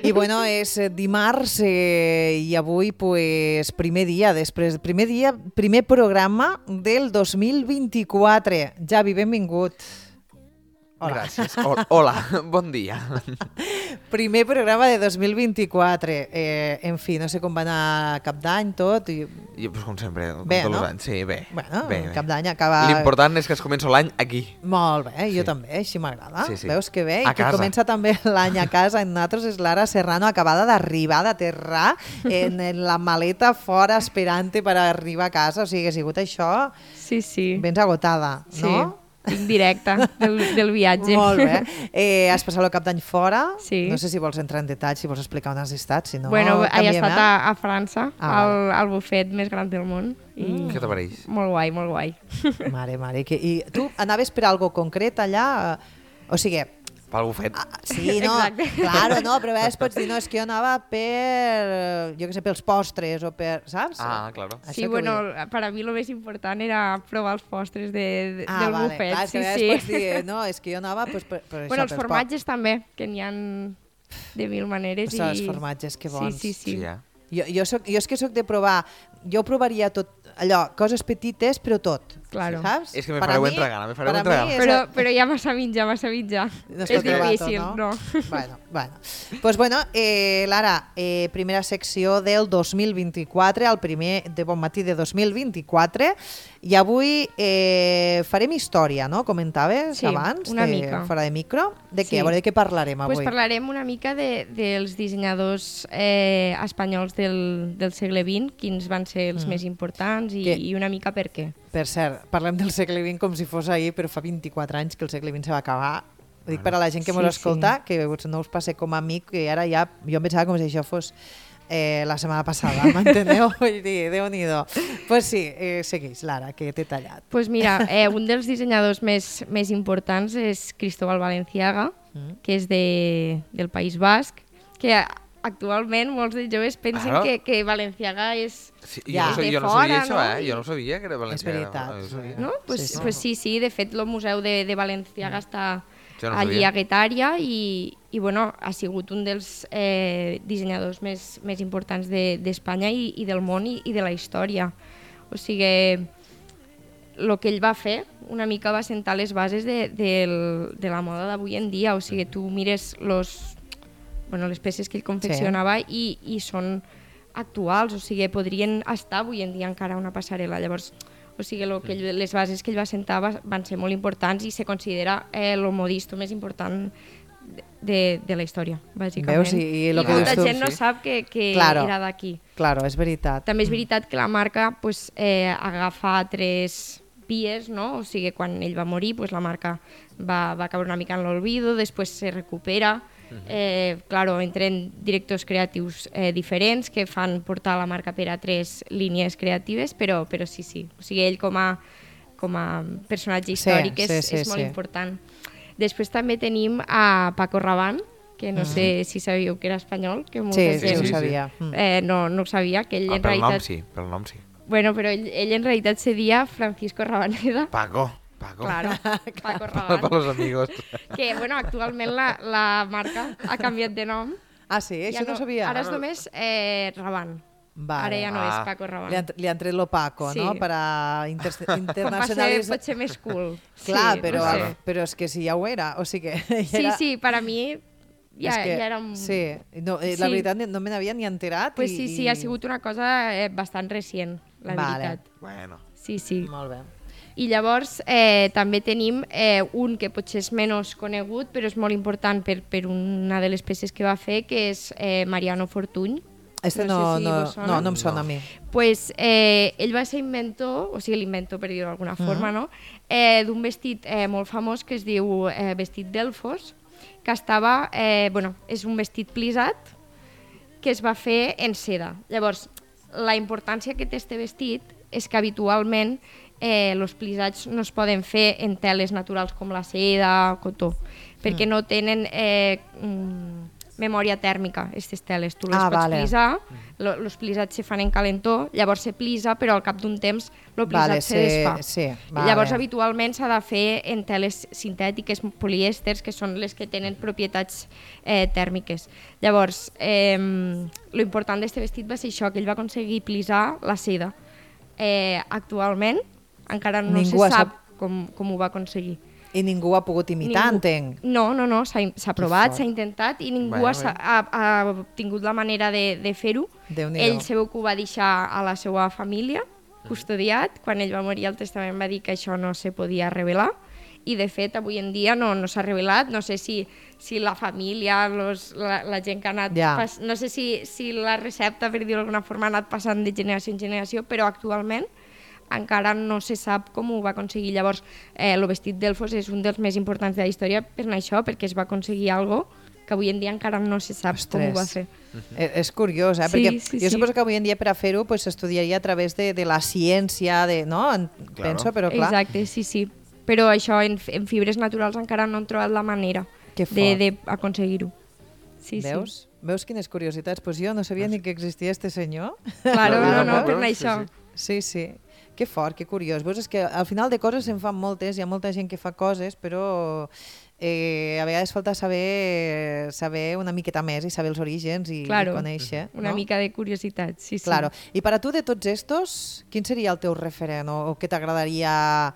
I bueno, és dimarts i avui pues, primer programa del 2024. Javi, benvingut. Hola. Gràcies. Hola, bon dia. Primer programa de 2024. En fi, no sé com va anar Cap d'Any, tot. I pues, com sempre, bé, tots no? els anys. Sí, bé. Bueno, bé. Cap d'Any acaba... L'important és que es comença l'any aquí. Molt bé, jo Sí. també, així m'agrada. Sí. Veus que bé? A I que casa. comença també l'any a casa. En nosaltres és l'Ara Serrano, acabada d'arribar, d'aterrar en la maleta fora esperant-te per arribar a casa. O sigui, que ha sigut això... Sí. Vens agotada, no? Sí, indirecte del viatge. Molt bé. Has passat el Cap d'Any fora. Sí. No sé si vols entrar en detall, si vols explicar on has estat. Si no, Bueno, he canviem, estat a França, al bufet més gran del món. I Què t'apareix? molt guai, molt guai. Mare. I tu anaves per algo concret allà? O sigui... Pel bufet. Sí, no, Exacte. claro, no, però a vegades pots dir, no, és que jo anava per, jo què sé, pels postres o per, saps? Claro. Això Sí, que bueno, vull dir. per a mi el més important era provar els postres del vale, bufet. clar, és que a vegades pots dir, no, és que jo anava pues, per això, Bueno, els pels formatges també, que n'hi ha de mil maneres. Els formatges, que bons. Sí. Ja. Jo és que soc de provar, jo provaria tot, allò, coses petites, però tot. Claro. Saps? És que me fareu entregar, Però hi ha massa mitja. No es És pot provar difícil, tot, no? Bueno. Pues bueno, Lara, primera secció del 2024, el primer de Bon Matí de 2024, i avui farem història, no? Comentaves Sí, abans, una mica. fora de micro. De què? Sí. A veure, de què parlarem avui? Pues parlarem una mica dels dissenyadors espanyols del segle XX, quins van ser els més importants i una mica per què. Per cert, parlem del segle XX com si fos ahir, però fa 24 anys que el segle XX se va acabar. Ho dic per a la gent que mos escolta, que no us passe com a mi, que ara ja... Jo em pensava com si això fos la setmana passada, m'enteneu? Vull dir, Déu-n'hi-do. Pues sí, segueix, Lara, que t'he tallat. Pues mira, un dels dissenyadors més importants és Cristóbal Balenciaga, que és del País Basc, que actualment molts de joves pensen que Balenciaga és jo no sabia això, jo no sabia que era Balenciaga. És veritat. No? Pues sí, de fet el museu de Balenciaga està allí sabia. a Guetària i bueno, ha sigut un dels dissenyadors més importants d'Espanya i del món i de la història. O sigui, el que ell va fer una mica va sentar les bases de la moda d'avui en dia. O sigui, tu mires les peces que ell confeccionava i són actuals, o sigui, podrien estar avui en dia encara una passarel·la. Llavors, o sigui, les bases que ell va sentar van ser molt importants i se considera el modisto més important de la història, bàsicament. Veus? I molta gent no sap que era d'aquí. Claro, és veritat. També és veritat que la marca agafa altres vies, no? O sigui, quan ell va morir, la marca va caure una mica en l'olvido, després se recupera. Claro, entren directors creatius diferents que fan portar la marca per a tres línies creatives, però sí. O sigui, ell com a personatge històric és molt important. Després també tenim a Paco Rabanne, que no sé si sabíeu que era espanyol. Que sí, ho sabia. No ho sabia, que ell en realitat... Pel nom sí. Bueno, però ell en realitat se dia Francisco Rabaneda. Paco. Claro, Paco Rabanne. Para los amigos. Que, bueno, actualment la marca ha canviat de nom. Ah, sí? Això no sabia. Ara és només Rabanne. Vale. Ara ja no és Paco Rabanne. Li han tret lo Paco, no? Per a internacionalitzar. Pot ser més cool. Clar, però és que si ja ho era. O sigui que sí, per a mi ja era... Sí, la veritat no me n'havia ni enterat. Pues sí, ha sigut una cosa bastant recient, la veritat. Bueno. Sí. Molt bé. I llavors també tenim un que potser és menys conegut, però és molt important per una de les peces que va fer, que és Mariano Fortuny. No em sona a mi. Pues ell va ser inventor, o sigui l'inventor per dir-ho d'alguna forma, no? D'un vestit molt famós que es diu vestit Delfos, que estava, és un vestit plisat que es va fer en seda. Llavors, la importància que té este vestit és que habitualment els plisats no es poden fer en teles naturals com la seda o cotó, perquè no tenen memòria tèrmica, aquestes teles. Tu les pots plisar, els plisats se fan en calentó, llavors se plisa, però al cap d'un temps el plisat se desfà. Llavors, habitualment s'ha de fer en teles sintètiques, polièsters, que són les que tenen propietats tèrmiques. Llavors, l'important d'aquest vestit va ser això, que ell va aconseguir plisar la seda. Actualment, encara no se sap com ho va aconseguir. I ningú ha pogut imitar, entenc. No, s'ha provat, s'ha intentat i ningú ha tingut la manera de fer-ho. Ell sabeu que ho va deixar a la seva família, custodiat. Quan ell va morir, el testament va dir que això no se podia revelar i, de fet, avui en dia no s'ha revelat. No sé si la família, la gent que ha anat... No sé si la recepta, per dir-ho d'alguna forma, ha anat passant de generació en generació, però actualment encara no se sap com ho va aconseguir. Llavors, el vestit d'Elfos és un dels més importants de la història per això, perquè es va aconseguir alguna cosa que avui en dia encara no se sap com ho va fer. És curiós, perquè jo suposo que avui en dia per a fer-ho s'estudiaria a través de la ciència, no? Penso, però clar... Exacte, sí. Però això, en fibres naturals encara no han trobat la manera d'aconseguir-ho. Veus? Veus quines curiositats? Doncs jo no sabia ni que existia este senyor. Claro, no, per això. Sí. Que fort, que curiós. Veus, és que al final de coses se'n fan moltes, hi ha molta gent que fa coses, però a vegades falta saber una miqueta més i saber els orígens i conèixer. Una mica de curiositat, sí. Claro. I per a tu, de tots estos, quin seria el teu referent o què t'agradaria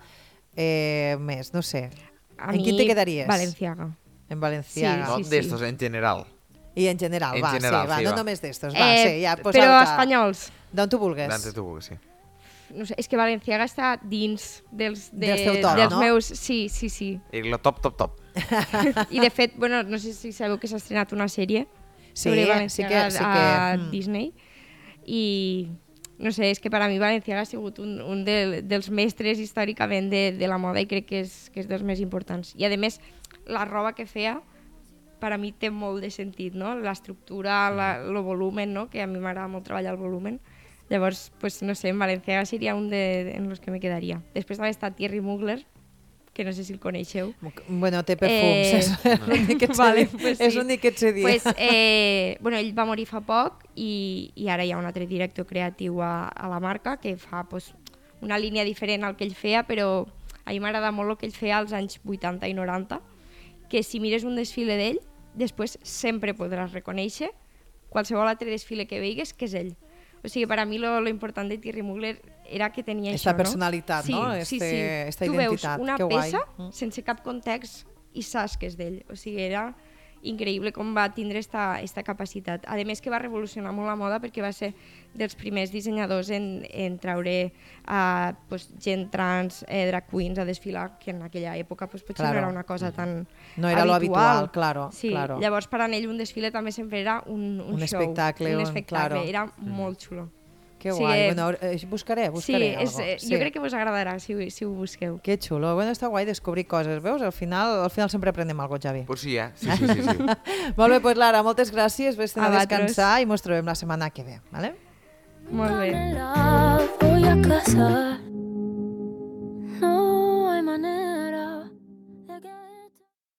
més? No sé. En quin te quedaries? Valenciaga. En Valenciaga. No d'estos, en general. I en general, no només d'estos. Però espanyols. D'on tu vulguis. D'on tu vulguis, sí. No sé, és que Valenciaga està dins dels meus... Sí. I el top. I de fet, no sé si sabeu que s'ha estrenat una sèrie sobre Valenciaga a Disney i no sé, és que per a mi Valenciaga ha sigut un dels mestres històricament de la moda i crec que és dels més importants. I a més, la roba que feia per a mi té molt de sentit, no? L'estructura, el volumen, no? Que a mi m'agrada molt treballar el volumen. Llavors, no sé, en Valenciaga seria un en los que me quedaria. Després també està Thierry Mugler, que no sé si el coneixeu. Bueno, té perfums, és l'únic que et sé dir. Ell va morir fa poc i ara hi ha un altre director creatiu a la marca que fa una línia diferent al que ell feia, però a mi m'agrada molt el que ell feia als anys 80 i 90, que si mires un desfile d'ell, després sempre podràs reconèixer qualsevol altre desfile que veigues que és ell. O sigui, per a mi lo important de Thierry Mugler era que tenia esta personalitat, no? Esta identitat. Tu veus una peça sense cap context i saps que és d'ell. O sigui, era increïble com va tindre esta capacitat. A més que va revolucionar molt la moda perquè va ser dels primers dissenyadors en traure gent trans, drag queens a desfilar, que en aquella època potser no era una cosa tan no era lo habitual, claro. Llavors per a ell un desfile també sempre era un show, espectacle, era molt xulo. Que guai, buscaré algo. Jo crec que vos agradarà si ho busqueu. Que xulo, està guai descobrir coses, veus? Al final sempre aprenem alguna cosa, Javi. Pues sí, sí. Molt bé, doncs Lara, moltes gràcies, vés a descansar i mos trobem la setmana que ve, vale? Molt bé.